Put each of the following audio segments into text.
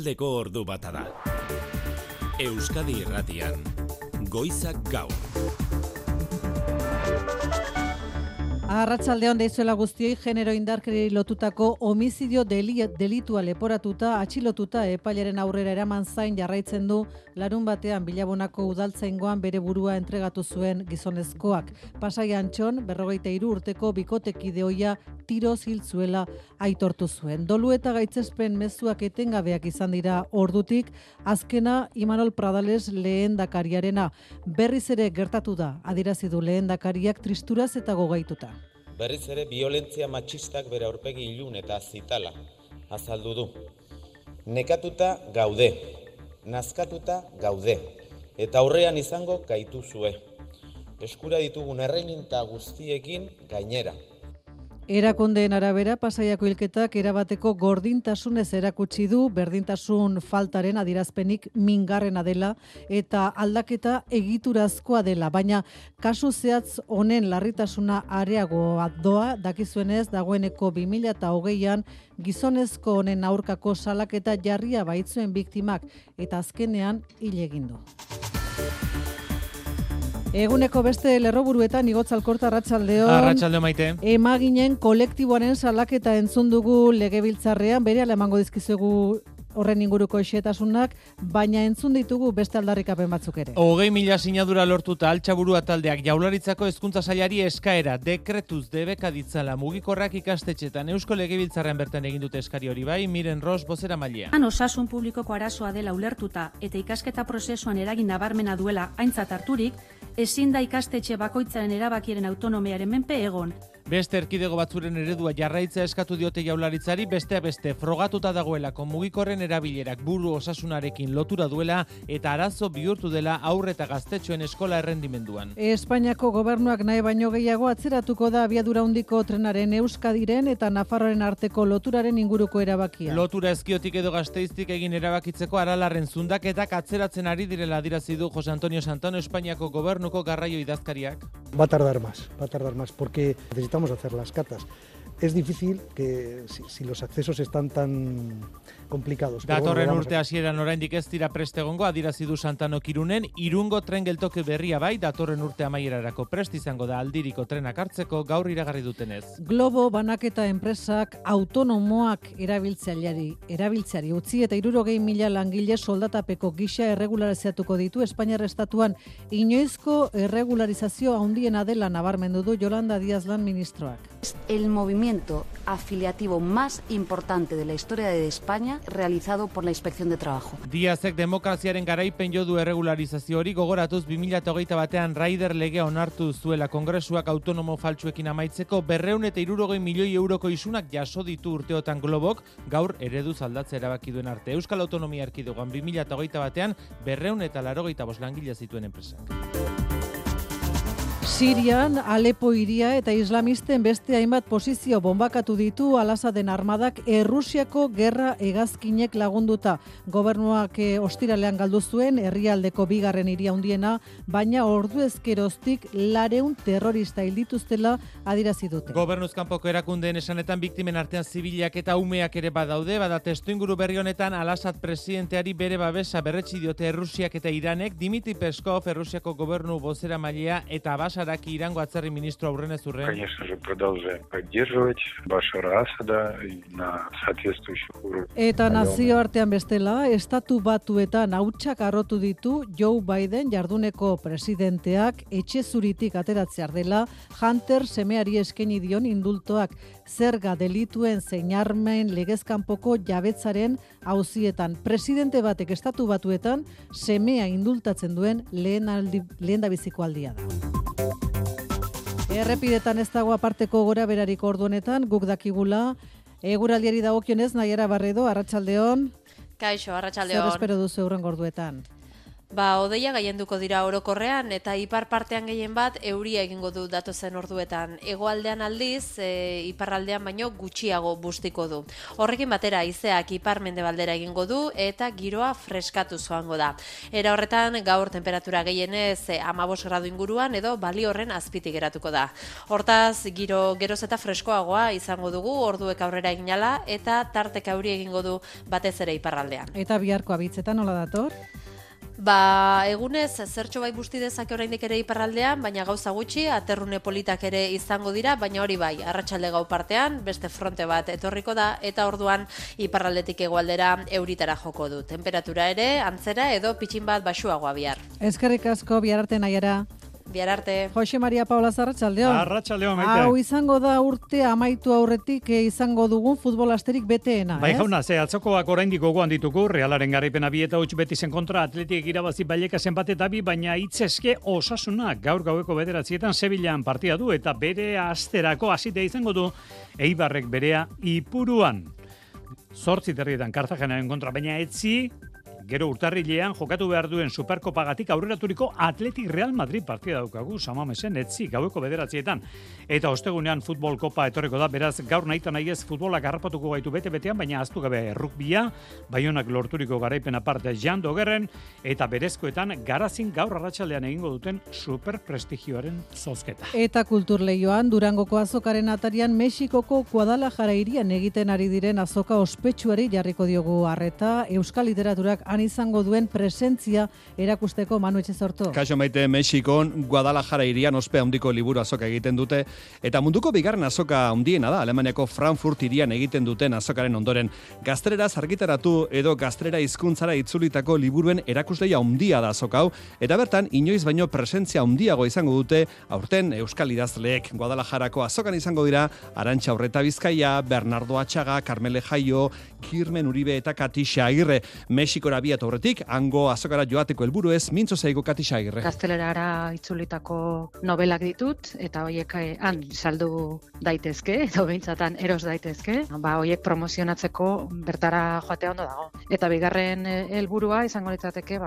Arratsaldeko ordu bata da. Euskadi Irratian, Goizak Gaur. Arratsaldeon deizuela guztioi, genero indarkeriari lotutako homizidio delitua leporatuta, atxilotuta epailaren aurrera eraman zain jarraitzen du larunbatean Bilabonako udaltzaingoan bere burua entregatu zuen gizonezkoak. Pasai Antxon, 43 urteko bikotekide ohia tiroz hil zuela aitortu zuen. Dolu eta gaitzespen mezuak etengabeak izan dira ordutik, azkena Imanol Pradales lehendakariarena. Berriz ere gertatu da, adierazi du lehendakariak tristuraz eta gogaituta. Berriz ere biolentzia matxistak bere aurpegi ilun eta zitala azaldu du. Nekatuta gaude, nazkatuta gaude, eta aurrean izango gaituzue. Eskura ditugun erreminta guztiekin gainera. Erakundeen arabera, Pasaiako hilketak erabateko gordintasunez erakutsi du, berdintasun faltaren adierazpenik mingarrena dela eta aldaketa egiturazkoa dela, baina kasu zehatz honen larritasuna areagoa doa, dakizuenez dagoeneko 2020an gizonezko honen aurkako salaketa jarria baitzuen biktimak eta azkenean hil egin du. Eguneko beste lerroburuetan Igotz Alkorta, arratsaldeon. Arratsalde Maite. Emaginen kolektiboaren salaketa entzun dugu legebiltzarrean, berehala emango dizkizuegu horren inguruko xehetasunak, baina entzun ditugu beste aldarrikapen batzuk ere. 20.000 sinadura lortuta Altxaburua taldeak Jaurlaritzako hezkuntza sailari eskaera dekretuz debeka ditzala mugikorrak ikastetxetan. Eusko Legebiltzarrean bertan egin dute eskari hori bai, Miren Ros bozeramailea. Osasun publikoko arazoa dela ulertuta eta ikasketa prozesuan eragin nabarmena duela aintzat harturik, ezin da ikastetxe bakoitzaren erabakiaren autonomiaren menpe egon. Beste erkidego batzuren eredua jarraitzea eskatu diote Jaurlaritzari, besteak beste frogatuta dagoelako mugikorren erabilerak buru osasunarekin lotura duela eta arazo bihurtu dela haur eta gaztetxoen eskola errendimenduan. Espainiako gobernuak nahi baino gehiago atzeratuko da abiadura handiko trenaren Euskadiren eta Nafarroaren arteko loturaren inguruko erabakia. Lotura Ezkiotik edo Gasteiztik egin erabakitzeko Aralarren zundaketak atzeratzen ari direla adierazi du Jose Antonio Santano, Espainiako gobernuko garraio idazkariak. Va a tardar más, porque necesitamos hacer las catas. Es difícil que si los accesos están tan complicados. Datorren urte hasieran oraindik ez dira prest egongo, adierazi du Santano Irunen, Irungo tren geltoki berria bai, datorren urte amaierarako prest izango da aldiriko trenak hartzeko gaur iragarri dutenez. Globo banaketa enpresak autonomoak erabiltzeari utzi eta 60.000 langile soldatapeko gisa erregularizatuko ditu Espainiar estatuan. Inoizko erregularizazio handiena dela nabarmendu du Yolanda Díaz lan ministroak. El movimiento afiliativo más importante de la historia de España realizado por la Inspección de Trabajo. Díazek demokraziaren garaipen jo du erregularizazio hori gogoratuz 2021ean Raider legea onartu zuela Kongresuak autonomo faltsuekin amaitzeko 260 milioi euroko isunak jaso ditu urteotan Globok, gaur ereduz aldatzea erabaki duen arte. Euskal Autonomia Erkidegoan 2021ean 285 langile zituen enpresak. Sirian, Alepo hiria eta islamisten beste hainbat posizio bombakatu ditu Al-Asaden armadak Errusiako gerra hegazkinek lagunduta. Gobernuak ostiralean galdu zuen herrialdeko bigarren hiria handiena, baina ordu ezkeroztik 400 terrorista hil dituztela adierazi dute. Gobernuz kanpoko erakundeen esanetan biktimen artean zibilak eta umeak ere badaude, bada testuinguru berri honetan Al-Asad presidenteari bere babesa berretsi diote Errusiak eta Iranek. Dimitri Peskov, Errusiako gobernu bozeramailea eta Basaraki Irango atzerri ministro aurrenez urren. Конечно же, продолжаем поддерживать Башара Асада на соответствующих уровнях. Eta nazioartean bestela, Estatu Batuetan hautsak arrotu ditu Joe Biden jarduneko presidenteak etxe zuritik ateratzear dela Hunter semeari eskaini dion indultoak zerga delituen zein armen legezkanpoko jabetzaren auzietan. Presidente batek Estatu Batuetan semea indultatzen duen lehendabiziko aldia da. Errepidetan ez dago aparteko gora berarik ordu honetan, guk dakigula. Eguraldiari dagokionez, Naiara Barredo, arratsaldeon. Kaixo, arratsaldeon. Zer espero duzu hurrengo orduetan? Odeia gailenduko dira orokorrean eta ipar partean gehien bat euria egingo du datozen orduetan. Hegoaldean aldiz, iparraldean baino gutxiago bustiko du. Horrekin batera haizeak ipar-mendebaldera egingo du eta giroa freskatu joango da. Era horretan gaur temperatura gehienez 15 gradu inguruan edo Baliorren azpitik geratuko da. Hortaz, geroz eta freskoagoa izango dugu orduek aurrera eginala eta tarteka euri egingo du batez ere iparraldean. Eta biharko abitzetan nola dator? Egunez zertxo bai busti dezake oraindik ere iparraldean, baina gauza gutxi, aterrune politak ere izango dira, baina hori bai, arratsalde gau partean, beste fronte bat etorriko da, eta orduan iparraldetik hegoaldera euritara joko du. Temperatura ere, antzera edo pitxin bat baxuagoa bihar. Eskerrik asko, bihar arte Naiara. Bihar arte. Jose Maria Paula Arratsaldeon. Arratsaldeon, Maite. Hau izango da urte amaitu aurretik izango dugun futbol asterik beteena, Bai, jauna, atzokoak oraindik gogoan ditugu, Realaren garaipena 2-8 Betizen kontra, Atletik irabazi Vallecas bat eta 2, baina hitzeske Osasuna gaur gaueko 9 Sevillan partida du eta bere asterako hasite izango du Eibarrek berea Ipuruan. 8 Kartagenaren kontra, baina etzi gero urtarrilean jokatu behar duen Superkopagatik aurreraturiko Atletik Real Madrid partida daukagu, Samamesen etzi gaueko 9 eta ostegunean futbol kopa etorriko da, beraz gaur nahita nahi ez futbolak harrapatuko gaitu bete-betean, baina ahaztu gabe rugbia, Baionak lorturiko garaipen aparte Jan Dogerren eta berezkoetan Garazin gaur arratsaldean egingo duten superprestigioaren zozketa. Eta kulturleioan Durangoko azokaren atarian Mexikoko Guadalajara hirian egiten ari diren azoka ospetsuari jarriko diogu arreta, euskal literaturak han izango duen presentzia erakusteko Manu Etxezorto. Kaixo Maite, Mexikon Guadalajara hirian ospe handiko liburu azoka egiten dute eta munduko bigarren azoka handiena da, Alemaniako Frankfurt hirian egiten duten azokaren ondoren. Gazteleraz argitaratu edo gaztelera hizkuntzara itzulitako liburuen erakusleia handia da azoka hau, eta bertan inoiz baino presentzia handiago izango dute aurten euskal idazleek. Guadalajarako azokan izango dira Arantxa Urreta Bizkaia, Bernardo Atxaga, Carmele Jaio, Kirmen Uribe eta Katixa Agirre. Mexikora biat aurretik, hango azokara joateko helburu ez, mintzo zaigo Katixa Agirre. Gaztelerara itzulitako novelak ditut, eta hoiek han saldu daitezke, edo behintzatan eros daitezke, hoiek promozionatzeko bertara joatea ondo dago. Eta bigarren helburua izango litzateke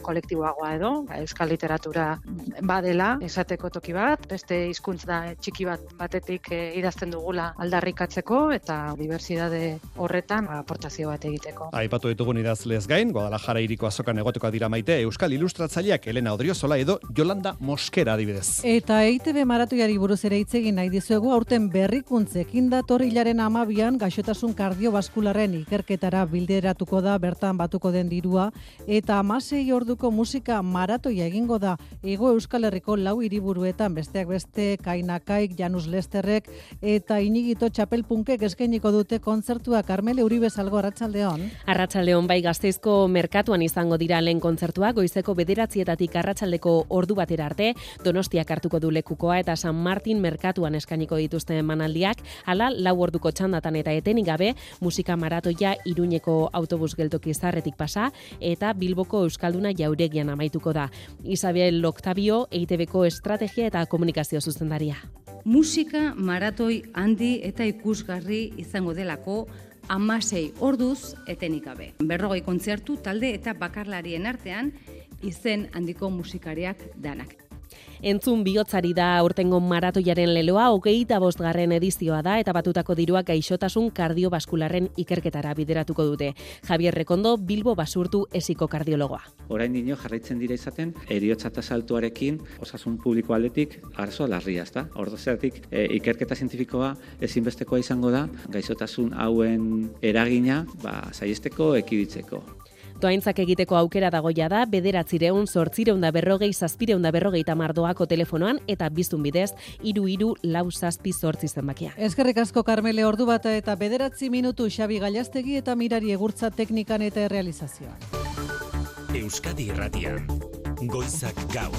kolektiboagoa edo, euskal literatura badela, esateko toki bat, beste hizkuntz da txiki batetik idazten dugula aldarrikatzeko, eta diversitate horretan aportazio bat egiteko. Aipatu ditugun idazlez gain, Guadalajara hiriko azokan egotekoa dira Maite, euskal ilustratzaileak Elena Odriozola edo Yolanda Moskera adibidez. Eta EITB maratoiari buruz ere hitz egin nahi dizuegu, aurten berrikuntzekin dator hilaren 12 gaixotasun kardiobaskularren ikerketara bilderatuko da, bertan batuko den dirua, eta 16 orduko musika maratoia egingo da Hego Euskal Herriko 4 hiriburuetan, besteak beste Kainakaik, Janus Lesterrek eta Inigito Txapelpunkek eskainiko dute kontzertua. Carmele Uribe Salgo, arratsaldeon. Arratsaldeon, bai, Gasteizko merkatuan izango dira lehen kontzertua, goizeko 9 arratsaldeko ordu batera arte, Donostiak hartuko du lekukoa eta San Martin merkatuan eskainiko dituzten emanaldiak, hala 4 orduko txandatan eta etenik gabe, musika maratoia Iruñeko autobus geltoki zarretik pasa eta Bilboko Euskalduna Jauregian amaituko da. Isabel Octavio, EITBko estrategia eta komunikazio zuzendaria. Musika maratoi handi eta ikusgarri izango delako 16 orduz etenik gabe. 40 kontzertu talde eta bakarlarien artean izen handiko musikariak danak. Entzun bihotzari da aurtengo maratoiaren leloa, 25. edizioa da eta batutako dirua gaixotasun kardiobaskularren ikerketara bideratuko dute. Javier Rekondo, Bilbo Basurtu esiko kardiologoa. Oraindino jarraitzen dira izaten heriotza tasa altuarekin osasun publiko aldetik arazo larria, ezta? Horregatik ikerketa zientifikoa ezinbestekoa izango da gaixotasun hauen eragina saihesteko, ekiditzeko. Doaintzak egiteko aukera dagoia da 940 doako telefonoan eta biztun bidez 33467 zenbakia. Eskerrik asko Carmele, ordu bat eta 9 minutu Xabi Gallastegi eta Mirari Egurtza teknikan eta errealizazioan. Euskadi Irratian, Goizak Gaur.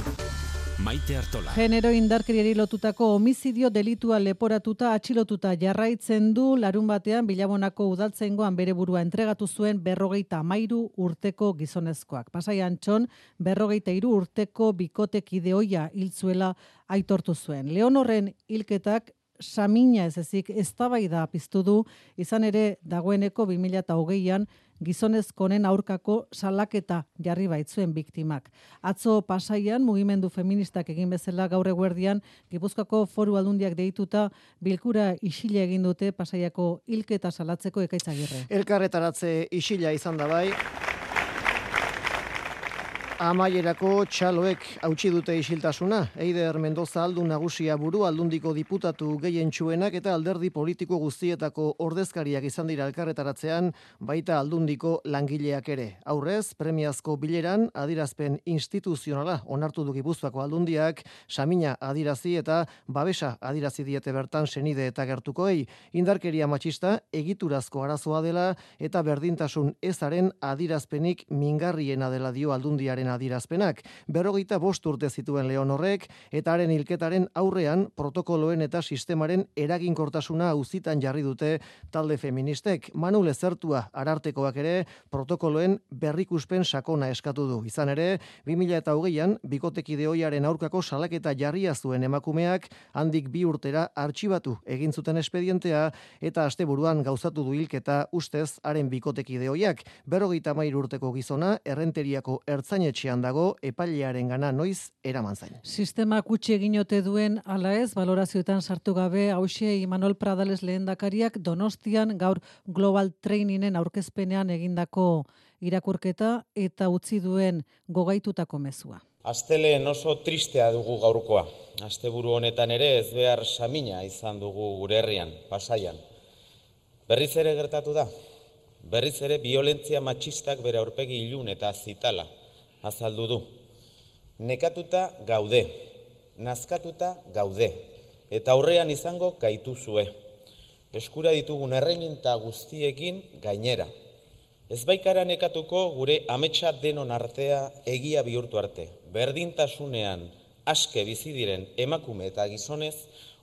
Maite Artola. Genero indarkeriari lotutako homizidio delitua leporatuta atxilotuta jarraitzen du larunbatean Bilabonako udaltzaingoan bere burua entregatu zuen 53 urteko gizonezkoak. Pasai Antxon 53 urteko bikotekide ohia hil zuela aitortu zuen. Leonorren hilketak samina ez ezik eztabaida piztu du, izan ere dagoeneko 2020an gizonezkonen aurkako salaketa jarri baitzuen biktimak. Atzo Pasaian mugimendu feministak egin bezala gaur eguerdian Gipuzkoako Foru Aldundiak deituta bilkura isila egin dute Pasaiako hilketa salatzeko Ekaitz Agirre. Elkarretaratze isila izan da bai. Amaierako txaloek hautsi dute isiltasuna. Eider Mendoza aldun nagusia buru aldundiko diputatu gehientsuenak eta alderdi politiko guztietako ordezkariak izan dira elkarretaratzean, baita aldundiko langileak ere. Aurrez, premiazko bileran adierazpen instituzionala onartu du Gipuzkoako aldundiak, samina adierazi eta babesa adierazi diete bertan senide eta gertukoei. Indarkeria matxista egiturazko arazoa dela eta berdintasun ezaren adierazpenik mingarriena dela dio aldundiaren adierazpenak. 45 urte zituen Leonorrek eta haren hilketaren aurrean protokoloen eta sistemaren eraginkortasuna auzitan jarri dute talde feministek. Manu Lezertua Arartekoak ere protokoloen berrikuspen sakona eskatu du. Izan ere, 2020an bikotekide ohiaren aurkako salaketa jarria zuen emakumeak handik 2 urtera artxibatu egin zuten espedientea eta asteburuan gauzatu du hilketa ustez haren bikotekide ohiak. 53 urteko gizona Errenteriako ertzainetxe dago epailearen gana noiz eraman zain. Sistema kutsi egin ote duen ala ez, balorazioetan sartu gabe, hauxe Imanol Pradales lehendakariak Donostian gaur Global Trainingen aurkezpenean egindako irakurketa eta utzi duen gogaitutako mezua. Asteleen oso tristea dugu gaurkoa. Asteburu honetan ere ez behar samina izan dugu gure herrian, Pasaian. Berriz ere gertatu da. Berriz ere violentzia matxistak bere aurpegi ilun eta zitala azaldu du. Nekatuta gaude, nazkatuta gaude, eta aurrean izango gaituzue. Eskura ditugun erreminta guztiekin gainera. Ez baikara nekatuko gure ametsa denon artea egia bihurtu arte. Berdintasunean aske bizi diren emakume eta gizonez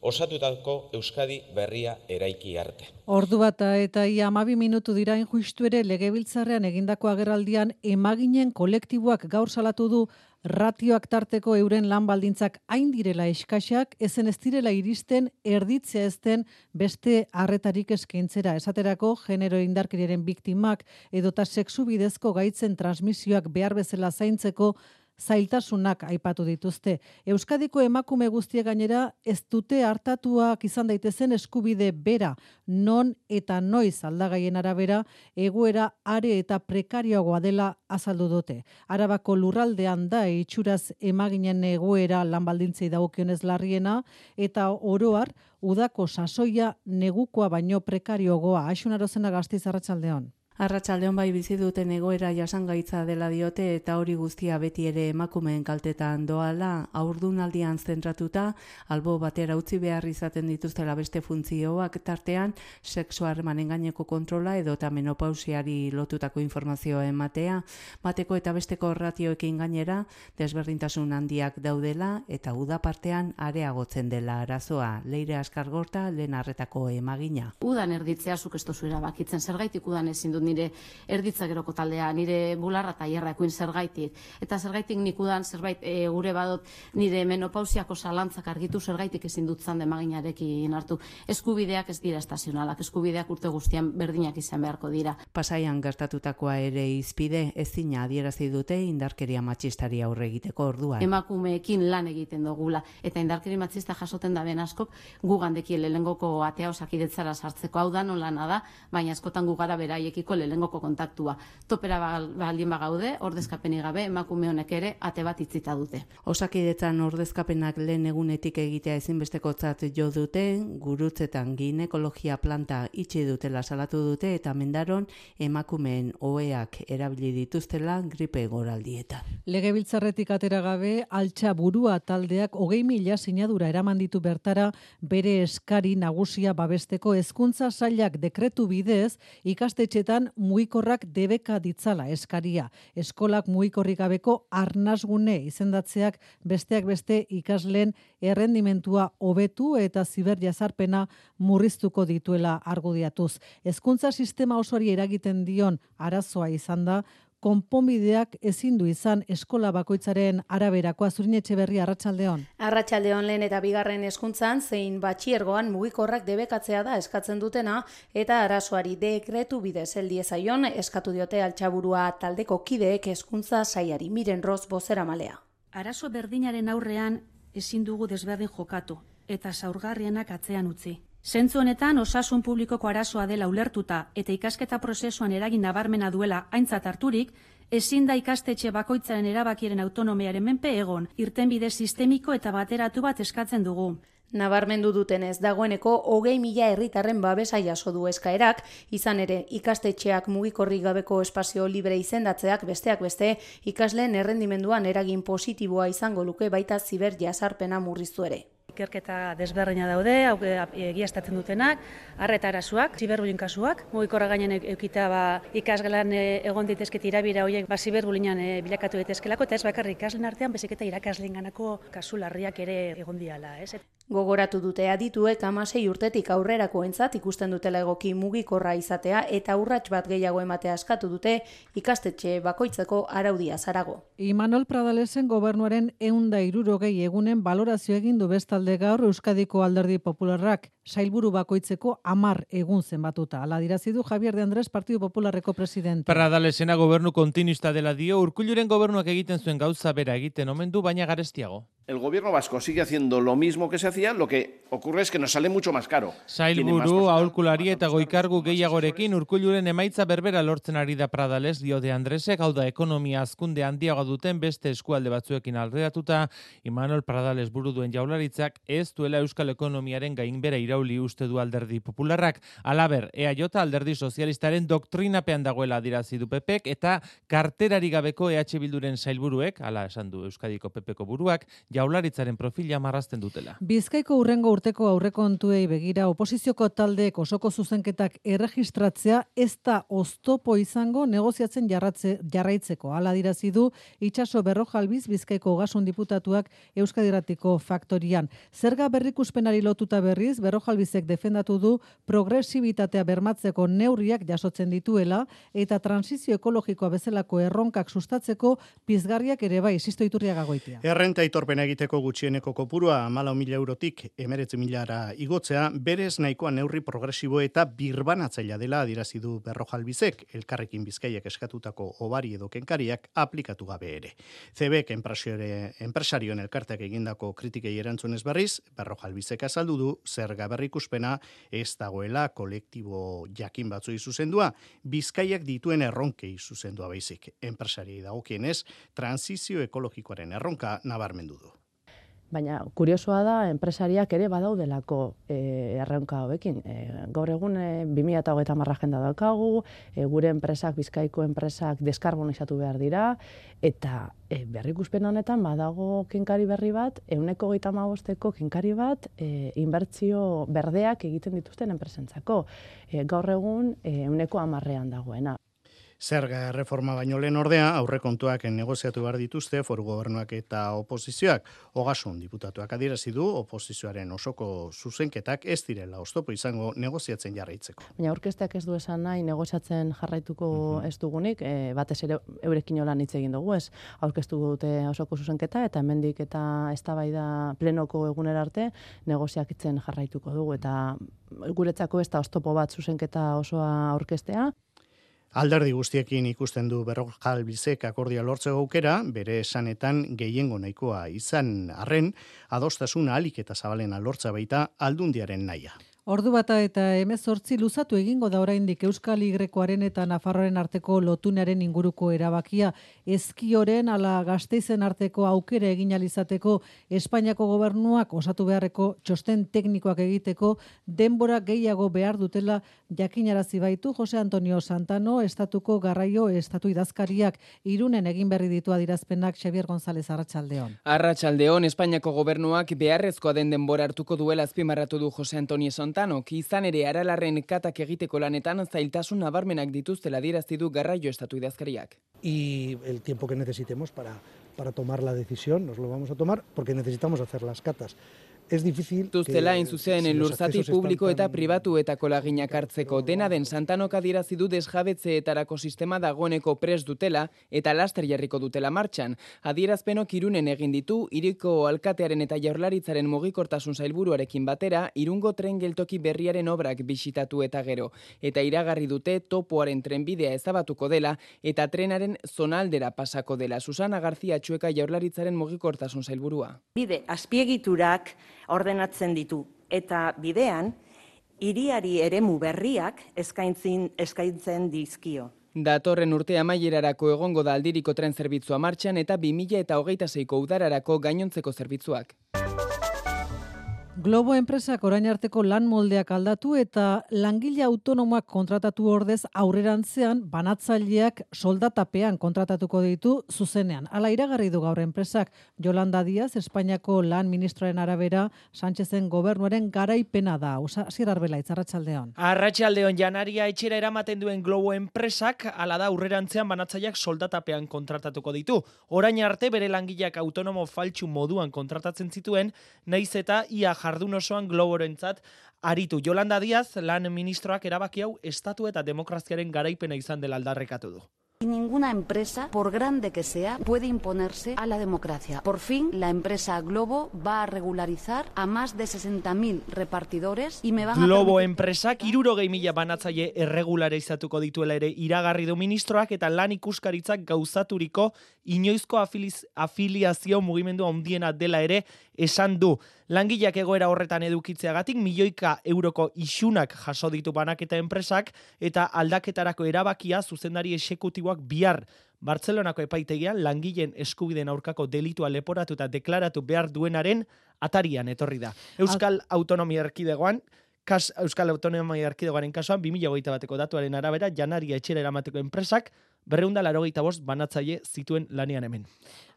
osatutako Euskadi berria eraiki arte. Ordu bata eta ia 12 minutu dira justu ere Legebiltzarrean egindako agerraldian emaginen kolektiboak gaur salatu du ratioak tarteko euren lan baldintzak hain direla eskaxak, ezen ez direla iristen erditzea ezten beste arretarik eskaintzera. Esaterako genero indarkeriaren biktimak edota sexu bidezko gaitzen transmisioak behar bezala zaintzeko zailtasunak aipatu dituzte. Euskadiko emakume guztiek gainera ez dute hartatuak izan daitezen eskubide bera, non eta noiz aldagaien arabera egoera are eta prekarioagoa dela azaldu dute. Arabako lurraldean da itxuraz emaginen egoera lan baldintzei dagokionez larriena eta oroar udako sasoia negukoa baino prekarioagoa. Aixun Arozena, Gasteiz, arratsaldeon. Arratsaldeon bai bizi duten egoera jasangaitza dela diote eta hori guztia beti ere emakumeen kaltetan doala, haurdunaldian zentratuta, albo batera utzi behar izaten dituztela beste funtzioak tartean, sexu harremanen gaineko kontrola edota menopausiari lotutako informazioa ematea, bateko eta besteko ratioekin gainera, desberdintasun handiak daudela eta uda partean areagotzen dela arazoa. Leire Askargorta, lehen arretako emagina. Udan erditzea zuk ez duzu erabakitzen, zergaitik udan ezin dut nire erditza geroko taldea, nire bularra eta hierrakoin zergaitik. Eta zergaitik nik udan zerbait gure badot nire menopausiako zalantzak argitu zergaitik ezin dut zande maginarekin hartu. Eskubideak ez dira estazionalak, eskubideak urte guztian berdinak izan beharko dira. Pasaian gertatutakoa ere izpide ezina adierazi dute indarkeria matxistari aurre egiteko orduan. Emakumeekin lan egiten dugula eta indarkeria matxista jasoten da ben askok gugandeki lehengoko atea osakidetzara sartzeko, hau da non lana da, baina askotan gugara beraiekiko lehengoko kontaktua. Topera baldin bagaude, ordezkapenik gabe, emakume honek ere ate bat itzita dute. Osakidetzan ordezkapenak lehen egunetik egitea ezinbestekotzat jo dute, gurutzetan ginekologia planta itxi dutela salatu dute eta Mendaron emakumeen oheak erabili dituztela gripe goraldietan. Legebiltzarretik atera gabe, Altxa Burua taldeak 20.000 sinadura eraman ditu bertara bere eskari nagusia babesteko hezkuntza sailak dekretu bidez ikastetxetan mugikorrak debeka ditzala eskaria. Eskolak mugikorrik gabeko arnasgune izendatzeak besteak beste ikasleen errendimentua hobetu eta ziberjazarpena murriztuko dituela argudiatuz. Hezkuntza sistema osoari eragiten dion arazoa izan da konponbideak ezin du izan eskola bakoitzaren araberakoa. Zurin Etxeberria, arratsaldeon. Arratsaldeon, lehen eta bigarren hezkuntzan zein batxiergoan mugikorrak debekatzea da eskatzen dutena eta arazoari dekretu bidez heldi ezaion eskatu diote Altxaburua taldeko kideek hezkuntza sailari. Miren Ros bozeramalea. Arazo berdinaren aurrean ezin dugu desberdin jokatu eta zaurgarrienak atzean utzi. Zentzu honetan osasun publikoko arazoa dela ulertuta eta ikasketa prozesuan eragin nabarmena duela aintzat harturik, ezin da ikastetxe bakoitzaren erabakiaren autonomiaren menpe egon, irtenbide sistemiko eta bateratu bat eskatzen dugu. Nabarmendu dutenez, dagoeneko 20.000 herritarren babesa jaso du eskaerak, izan ere ikastetxeak mugikorrik gabeko espazio libre izendatzeak besteak beste ikasleen errendimenduan eragin positiboa izango luke baita ziber jasarpena murriztu ere. Ikerketa desberdina daude, egiaztatzen dutenak, arreta arazoak, ziberbullying kasuak, mugikorra gainen eukita ikasgelan egon daitezke tirabira horiek ziberbullyingan bilakatu daitezkelako eta ez bakarrik ikasleen artean, baizik eta irakaslenganako kasu larriak ere egon diala, ez? Gogoratu dute adituek 16 urtetik aurrerakoentzat ikusten dutela egoki mugikorra izatea eta urrats bat gehiago ematea eskatu dute ikastetxe bakoitzeko araudia zarago. Imanol Pradalesen gobernuaren 160 egunen balorazio egin du bestalde gaur Euskadiko Alderdi Popularrak sailburu bakoitzeko 10 egun zenbatuta. Hala dirazi du Javier de Andrés Partido Popularreko presidente. Pradalesena gobernu kontinuista dela dio, Urkulluren gobernuak egiten zuen gauza bera egiten omen du, baina garestiago. El gobierno vasco sigue haciendo lo mismo que se hacía, lo que ocurre es que nos sale mucho más caro. Sailburu, aholkulari eta goikargu gehiagorekin Urkulluren emaitza berbera lortzen ari da Pradales, dio de Andresek, hau da ekonomia hazkunde handiago duten beste eskualde batzuekin alderatuta, Imanol Pradales buru duen jaularitzak ez duela euskal ekonomiaren gainbera irauli uste du Alderdi Popularrak. Alaber, EAJ Alderdi Sozialistaren doktrinapean dagoela adirazi du PPek eta karterari gabeko EH Bilduren sailburuek, hala esan du Euskadiko PPko buruak, jaularitzaren profila marrazten dutela. Bizkaiko hurrengo urteko aurrekontuei begira oposizioko taldeek osoko zuzenketak erregistratzea ez da oztopo izango negoziatzen jarraitzeko. Hala dirazi du Itxaso Berrojalbiz Bizkaiko ogasun diputatuak Euskadi Irratiko Faktorian. Zerga berrikuspenari lotuta berriz Berrojalbizek defendatu du progresibitatea bermatzeko neurriak jasotzen dituela eta transizio ekologikoa bezalako erronkak sustatzeko pizgarriak ere bai, Sisto Iturriaga Goitia. Errenta aitorpena egiteko gutxieneko kopurua 14.000 eurotik 19.000 igotzea, berez nahikoa neurri progresibo eta birbanatzailea dela adirazi du Berrojalbizek, Elkarrekin Bizkaiak eskatutako obari edo kenkariak aplikatu gabe ere. CBek enpresarioen elkarteak egindako kritikei erantzunez berriz, Berrojalbizek azaldu du zerga berrikuspena ez dagoela kolektibo jakin batzuei zuzendua, Bizkaiak dituen erronkei zuzendua baizik. Enpresariei dagokienez, transizio ekologikoaren erronka nabarmendu du. Baina kuriosoa da enpresariak ere badaudelako erronka hauekin. Gaur egun 2030 agenda daukagu, gure enpresak, Bizkaiko enpresak deskarbonizatu behar dira, eta berrikuspen honetan badago kenkari berri bat, 135ko kenkari bat, inbertsio berdeak egiten dituzten enpresentzako. Gaur egun 110 dagoena. Zerga reforma baino lehen ordea, aurrekontuak negoziatu behar dituzte foru gobernuak eta oposizioak. Ogasun diputatuak adierazi du oposizioaren osoko zuzenketak ez direla oztopo izango negoziatzen jarraitzeko. Baina aurkezteak ez du esan nahi negoziatzen jarraituko ez dugunik, batez ere eurekin lan hitz egin dugu ez. Aurkeztu dute osoko zuzenketa eta hemendik eta eztabaida plenoko egunera arte negoziatzen jarraituko dugu eta guretzako ez da oztopo bat zuzenketa osoa aurkeztea. Alderdi guztiekin ikusten du Berrojalbizek akordia lortzeko aukera, bere esanetan gehiengo nahikoa izan arren, adostasuna ahalik eta zabalena lortza baita Aldundiaren nahia. Ordu bata eta 18 luzatu egingo da oraindik Euskal Y-koaren eta Nafarroaren arteko lotunaren inguruko erabakia. Ezkioren ala Gasteizen arteko aukera egin alizateko Espainiako gobernuak osatu beharreko txosten teknikoak egiteko denbora gehiago behar dutela jakinarazi baitu Jose Antonio Santano, estatuko garraio estatu idazkariak. Irunen egin berri ditu adirazpenak Xavier González Arratsaldeon. Arratsaldeon, Espainiako gobernuak beharrezkoa den denbora hartuko duela azpimarratu du Jose Antonio Santano. Izan ere aralarren katak egiteko lanetan zailtasun nabarmenak dituztela adierazti du garraio estatu idazkariak. Y el tiempo que necesitemos para tomar la decisión, nos lo vamos a tomar porque necesitamos hacer las catas. Es difícil Tuztela zuzen lurzati publiko eta pribatuetako laginak hartzeko dena den Santanok adierazi du desjabetzeetarako sistema dagoeneko prest dutela eta laster jarriko dutela martxan. Adierazpenok Irunen egin ditu, hiriko alkatearen eta Jaurlaritzaren mugikortasun sailburuarekin batera, Irungo tren geltoki berriaren obrak bisitatu eta gero. Eta iragarri dute topoaren trenbidea ezabatuko dela eta trenaren zonaldera pasako dela. Susana García Txueka Jaurlaritzaren mugikortasun sailburua. Bide azpiegiturak ordenatzen ditu eta bidean hiriari eremu berriak eskaintzen dizkio. Datorren urte amaierarako egongo da aldiriko tren zerbitzua martxan eta 2026ko udararako gainontzeko zerbitzuak. Globo enpresak orain arteko lan moldeak aldatu eta langile autonomoak kontratatu ordez aurrerantzean banatzaileak soldatapean kontratatuko ditu zuzenean. Hala iragarri du gaur enpresak. Yolanda Díaz, Espainiako lan ministroaren arabera, Sánchezen gobernuaren garaipena da. Asier Arbelaitz, arratsaldeon. Arratsaldeon, janaria etxera eramaten duen Globo enpresak, hala da aurrerantzean banatzaileak soldatapean kontratatuko ditu. Orain arte bere langileak autonomo faltsu moduan kontratatzen zituen, naiz eta ia jardun osoan Globorentzat aritu. Yolanda Díaz, lan ministroak erabaki hau estatu eta demokraziaren garaipena izan dela aldarrekatu du. Ninguna empresa, por grande que sea, puede imponerse a la democracia. Por fin, la empresa Globo va a regularizar a más de 60.000 repartidores y me van a Globo enpresak 60.000 banatzaile erregularizatuko dituela ere iragarri du ministroak eta lan ikuskaritzak gauzaturiko inoizko afiliazio mugimendu handiena dela ere esan du. Langileak egoera horretan edukitzeagatik milioika euroko isunak jaso ditu banaketa enpresak eta aldaketarako erabakia zuzendari exekutiboak bihar Bartzelonako epaitegian langileen eskubideen aurkako delitua leporatu eta deklaratu behar duenaren atarian etorri da. Euskal Autonomia Erkidegoaren kasuan 2021ko datuaren arabera janaria etxera eramateko enpresak 285 banatzaile zituen lanean hemen.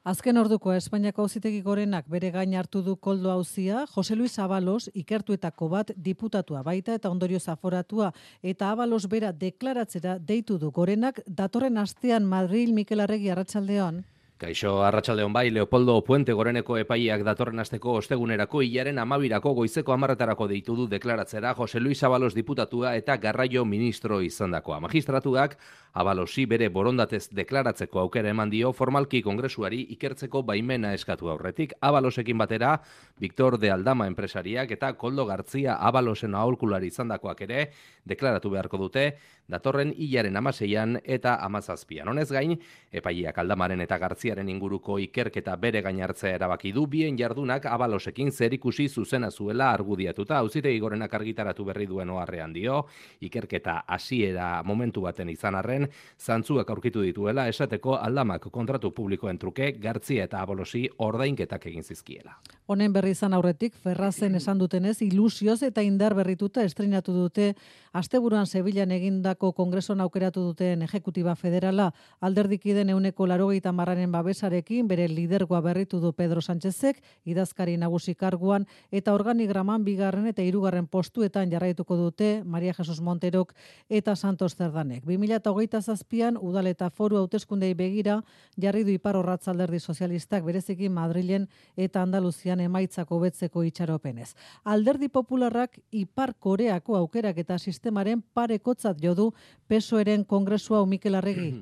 Azken orduko Espainiako Auzitegi Gorenak bere gain hartu du koldo auzia, Jose Luis Abalos ikertuetako bat diputatua baita eta ondorioz aforatua eta Abalos bera deklaratzera deitu du Gorenak datorren astean Madril. Mikel Arregi, arratsaldeon. Kaixo, arratsaldeon bai, Leopoldo Puente Goreneko epaiak datorren asteko ostegunerako hilaren 12 goizeko 10 deitu du deklaratzera Jose Luis Abalos diputatua eta garraio ministro izandakoa. Magistratuak Abalosi bere borondatez deklaratzeko aukera eman dio formalki kongresuari ikertzeko baimena eskatu aurretik. Abalosekin batera, Victor de Aldama enpresariak eta Koldo Gartzia Abalosen aholkulari izandakoak ere deklaratu beharko dute datorren hilaren 16an eta 17an. Honez gain, epaiak Aldamaren eta Gartziaren inguruko ikerketa bere gain hartzea erabaki du, bien jardunak Abalosekin zerikusi zuzena zuela argudiatuta. Auzitegi Gorenak argitaratu berri duen oharrean dio, ikerketa hasiera momentu baten izan arren, zantzuak aurkitu dituela esateko Aldamak kontratu publikoen truke Gartzia eta Abalosi ordainketak egin zizkiela. Honen berri izan aurretik, Ferrazen esan dutenez, ilusioz eta indar berrituta estrenatu dute asteburuan Sevillan egindako kongresuan aukeratu duten ejekutiba federala, alderdikiden 80%aren babesarekin bere lidergoa berritu du Pedro Sánchezek, idazkari nagusi karguan eta organigraman 2. eta 3. postuetan jarraituko dute Maria Jesus Monterok eta Santos Cerdanek. 2027an udal eta foru hauteskundei begira jarri du Iparrorratz alderdi sozialistak bereziki Madrilen eta Andaluzian emaitzak hobetzeko itxaropenez. Alderdi popularrak Ipar Koreako aukerak eta sistemaren parekotzat jo du PSOEren kongresua. Mikel Arregi.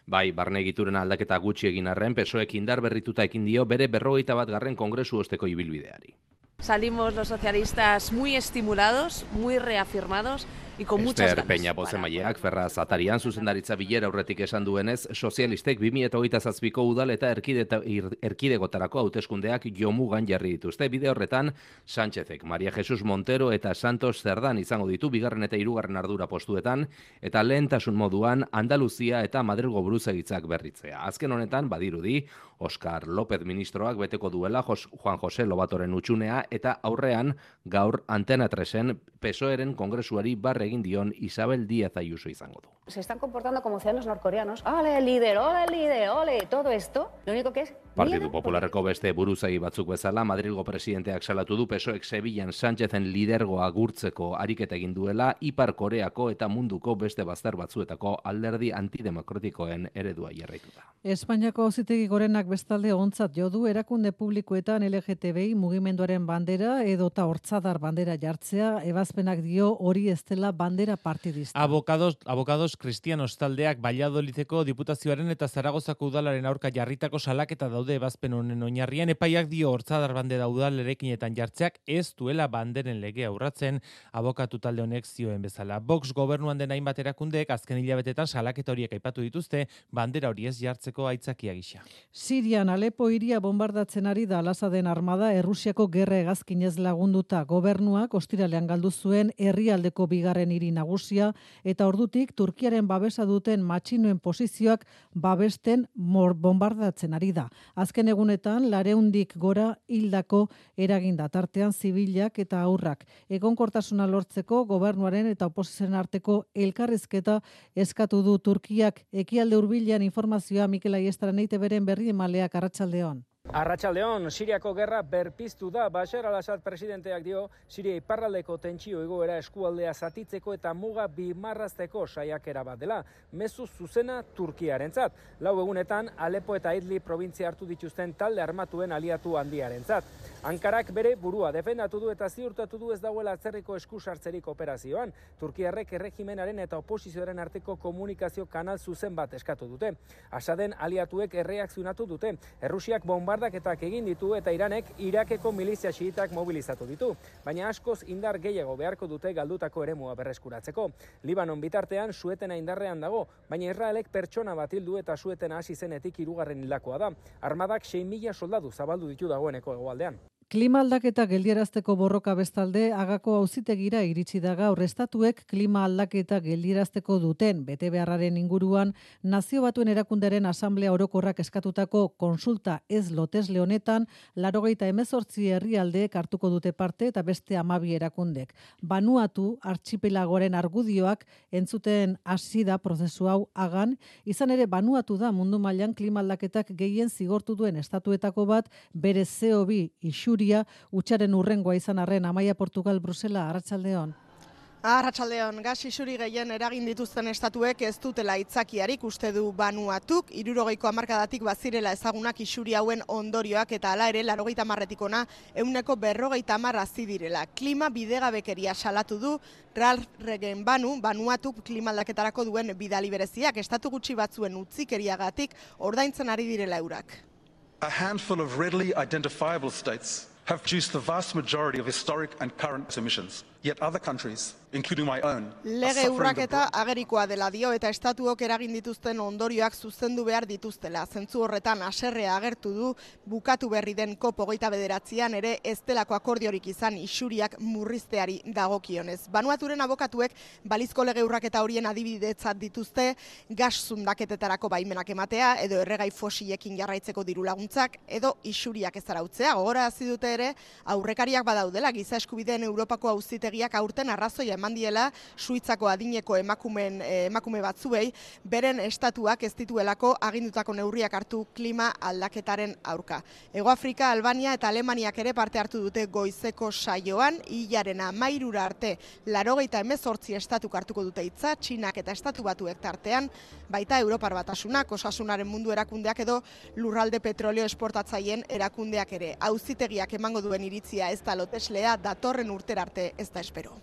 Bai, barne egituren aldaketa gutxi egin arren, PSOEk indar berrituta ekin dio bere 51. kongresu osteko ibilbideari. Salimos los socialistas muy estimulados, muy reafirmados y con muchas ganas. Peña bozemaileak Ferraz atarian zuzendaritza bilera aurretik esan duenez, sozialistek 2027ko udal eta erkidegotarako hauteskundeak jomugan jarri dituzte. Bide horretan, Sánchezek, Maria Jesus Montero eta Santos Cerdan izango ditu 2. eta 3. ardura postuetan, eta lehentasun moduan Andaluzia eta Madrilgo buruzagitzak berritzea. Azken honetan, badirudi, Oscar López ministroak beteko duela Juan José Lobatoren utxunea eta aurrean gaur Antena 3en PSOEren kongresuari barre egin dion Isabel Díaz Ayuso izango du. Se están comportando como ciudadanos norcoreanos. ¡Ole, líder! ¡Ole, líder! ¡Ole! Todo esto, lo único que es Partidu Popularreko beste buruzagi batzuk bezala, Madrilgo presidenteak salatu du PSOEk Sevillan Sánchezen lidergoa agurtzeko ariketa egin duela, Ipar Koreako eta munduko beste bazter batzuetako alderdi antidemokratikoen eredua jarraituta. Espainiako Auzitegi Gorenak bestalde ontzat jo du erakunde publikoetan LGTBI mugimenduaren bandera edota hortzadar bandera jartzea, ebazpenak dio hori ez dela bandera partidista. Abogados Cristianos taldeak Valladolideko Diputazioaren eta Zaragozako udalaren aurka jarritako salaketa daude ebazpen honen oinarrian, epaiak dio hortzadar bandera udalerekinetan jartzeak ez duela banderen legea urratzen, abokatu talde honek zioen bezala. Vox gobernuan den hainbat erakundeek azken hilabetetan salaketa horiek aipatu dituzte, bandera hori ez jartzeko aitzakia gisa. Sirian Alepo hiria bombardatzen ari da Al-Asaden armada Errusiako gerra hegazkinez lagunduta. Gobernuak ostiralean galdu zuen herrialdeko bigarren hiri nagusia eta ordutik Turkiaren babesa duten matxinoen posizioak babesten bombardatzen ari da. Azken egunetan 200 gora hildako eraginda, tartean zibilak eta haurrak. Egonkortasuna lortzeko gobernuaren eta oposizioen arteko elkarrizketa eskatu du Turkiak. Ekialde hurbilean informazioa Mikel Aiestaran EITBren berri emaleak arratsaldeon. Arratsaldeon, Siriako gerra berpiztu da. Bashar al-Assad presidenteak dio, Siria iparraldeko tentsio egoera eskualdea zatitzeko eta muga bimarrazteko saiakera bat dela. Mezu zuzena Turkiarentzat. 4 egunetan Alepo eta Idlib probintzia hartu dituzten talde armatuen aliatu handiarentzat. Ankarak bere burua defendatu du eta ziurtatu du ez dagoela atzerriko eskusartzerik operazioan. Turkiarrek erregimenaren eta oposizioaren arteko komunikazio kanal zuzen bat eskatu dute. Asaden aliatuek erreakzionatu dute. Errusiak bombardaketak egin ditu eta Iranek Irakeko milizia xiitak mobilizatu ditu. Baina askoz indar gehiago beharko dute galdutako eremua berreskuratzeko. Libanon bitartean suetena indarrean dago, baina Israelek pertsona bat hildu eta suetena hasi zenetik 3. hildakoa da. Armadak 6.000 soldadu zabaldu ditu dagoeneko hegoaldean. Klima aldaketa geldiarazteko borroka bestalde Hagako Auzitegira iritsi da gaur. Estatuek klima aldaketa geldiarazteko duten betebeharraren inguruan Nazio Batuen Erakundearen Asanblea Orokorrak eskatutako konsulta ez lotesle honetan 98 herrialdeek hartuko dute parte eta beste 12 erakundek. Vanuatu archipelagoaren argudioak entzuten hasi da prozesu hau Hagan, izan ere Vanuatu da mundu mailan klima aldaketak gehien zigortu duen estatuetako bat, bere CO2 isuri utxaren urrengoa izan arren. Amaia Portugal, Brusela, arratsaldeon. Arratsaldeon, gas isuri gehien eragin dituzten estatuek ez dutela aitzakiarik uste du Vanuatuk. 60ko hamarkadatik bazirela ezagunak isuri hauen ondorioak eta hala ere 80tik hona 150 hazi direla. Klima bidegabekeria salatu du Ralph Regen Vanuatuk klima aldaketarako duen bidali bereziak estatu gutxi batzuen utzikeriagatik ordaintzen ari direla eurak. A handful of readily identifiable states have produced the vast majority of historic and current emissions. Yet other countries, including my own, lege urraketa agerikoa dela dio eta estatuok eragin dituzten ondorioak zuzendu behar dituztela. Zentzu horretan haserrea agertu du bukatu berri den COP29an ere ez delako akordiorik izan isuriak murrizteari dagokionez. Vanuaturen abokatuek balizko lege urraketa horien adibidetzat dituzte gas zundaketetarako baimenak ematea edo erregai fosilekin jarraitzeko diru laguntzak edo isuriak ez arautzea. Gogorarazi dute ere aurrekariak badaudela giza eskubideen Europako Auzitegiak aurten arrazoia eman diela Suitzako adineko emakume batzuei beren estatuak ez dituelako agindutako neurriak hartu klima aldaketaren aurka. Hego Afrika, Albania eta Alemaniak ere parte hartu dute goizeko saioan, hilaren 13 arte 98 estatuk hartuko dute hitza, Txinak eta Estatu Batuek tartean, baita Europar Batasunak, Osasunaren Mundu Erakundeak edo lurralde petrolio esportatzaileen erakundeak ere. Auzitegiak emango duen iritzia ez da loteslea, datorren urtera arte ez da espero.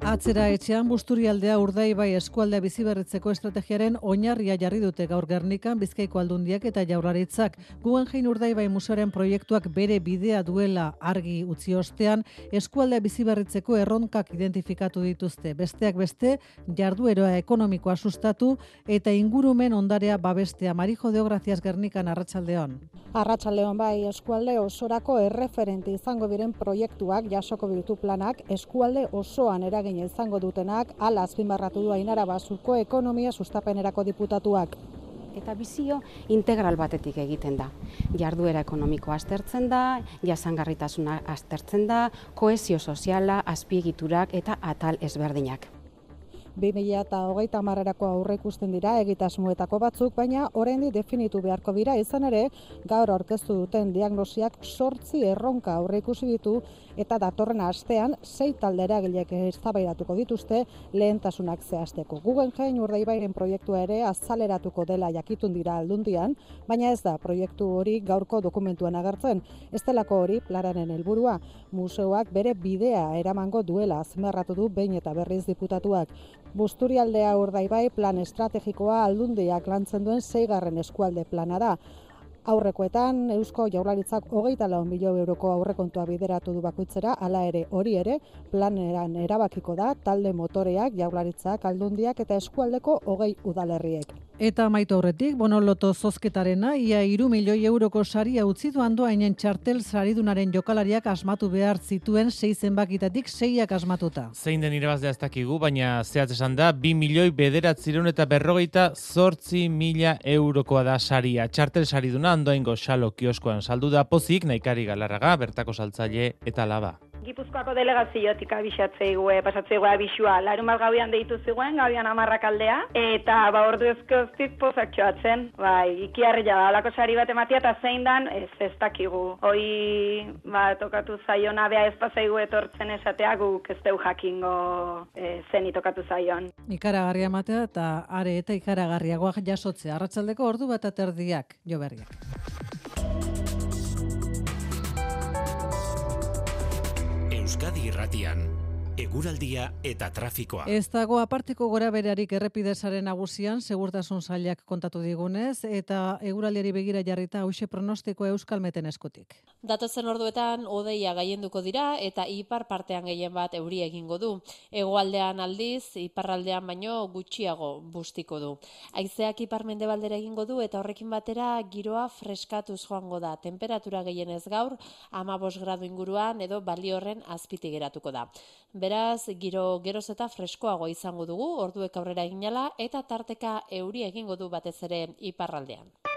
Atzera etxean Busturialdea Urdaibai eskualdea biziberritzeko estrategiaren oinarria jarri dute gaur Gernikan Bizkaiko Aldundiak eta Jaurlaritzak. Guggenheim Urdaibai museoaren proiektuak bere bidea duela argi utzi ostean eskualdea biziberritzeko erronkak identifikatu dituzte. Besteak beste jarduera ekonomikoa sustatu eta ingurumen ondarea babestea. Marijo Deograzias Gernikan, arratsaldeon. Arratsaldeon, bai, eskualde osorako erreferente izango diren proiektuak jasoko ditu planak eskualde osoan eragin izango dutenak, hala azpimarratu du Ainara Basurko ekonomia sustapenerako diputatuak. Eta bizio integral batetik egiten da. Jarduera ekonomikoa aztertzen da, jasangarritasuna aztertzen da, kohesio soziala, azpiegiturak eta atal ezberdinak. 2030erako aurreikusten dira egitasmoetako batzuk, baina oraindik definitu beharko dira. Izan ere, gaur aurkeztu duten diagnosiak 8 erronka aurreikusi ditu eta datorren astean 6 talde eragileek eztabaidatuko dituzte lehentasunak zehazteko. Guggenheim Urdaibairen proiektua ere azaleratuko dela jakitun dira Aldundian, baina ez da proiektu hori gaurko dokumentuan agertzen. Ez delako hori planaren helburua. Museoak bere bidea eramango duela azpimarratu du behin eta berriz diputatuak. Busturialdea Urdaibai plan estrategikoa Aldundiak lantzen duen 6. eskualde plana da. Aurrekoetan Eusko Jaurlaritzak 24 milioi euroko aurrekontua bideratu du bakoitzera, hala ere hori ere planeran erabakiko da talde motoreak, Jaurlaritzak, Aldundiak eta eskualdeko 20 udalerriek. Eta amaitu aurretik, Bonoloto zozketarena, ia 3 milioi euroko saria utzi du Andoainen txartel saridunaren jokalariak asmatu behar zituen 6 zenbakitatik 6ak asmatuta. Zein den irabazlea ez dakigu, baina zehatz esan da, 2 milioi 948.000 eurokoa da saria. Txartel sariduna Andoaingo Xalo kioskoan saldu da pozik, Naikari Galarraga, bertako saltzaile eta laba. Gipuzkoako delegaziotik abixatzeigue, pasatzeigue abixua, larunbat gauian deitu ziguen, gauian 10 aldea, eta ordu ezkoztik pozak txoatzen, ikiarria da, alako sari bat ematia, eta zein dan, ez dakigu. Hoi, tokatu zaion abea ez pasaigu etortzen esatea, guk ez deu jakingo zeni tokatu zaion. Ikaragarria ematea eta are eta ikaragarriagoak jasotzea, arratsaldeko ordu bat aterdiak, jo berriak. Euskadi Irratian, eguraldia eta trafikoa. Ez dago aparteko gorabeherarik errepidesaren nagusian, segurtasun sailak kontatu digunez, eta eguraldiari begira jarrita hauxe pronostikoa Euskalmeten eskutik. Datozen orduetan hodeia gailenduko dira eta ipar partean gehien bat euri egingo du. Hegoaldean aldiz, iparraldean baino gutxiago bustiko du. Haizeak ipar-mendebaldera egingo du eta horrekin batera giroa freskatuz joango da. Temperatura gehienez gaur 15 gradu inguruan edo balio-horren azpitik geratuko da. Beraz, giro geroz eta freskoago izango dugu, orduek aurrera eginala eta tarteka euri egingo du batez ere iparraldean.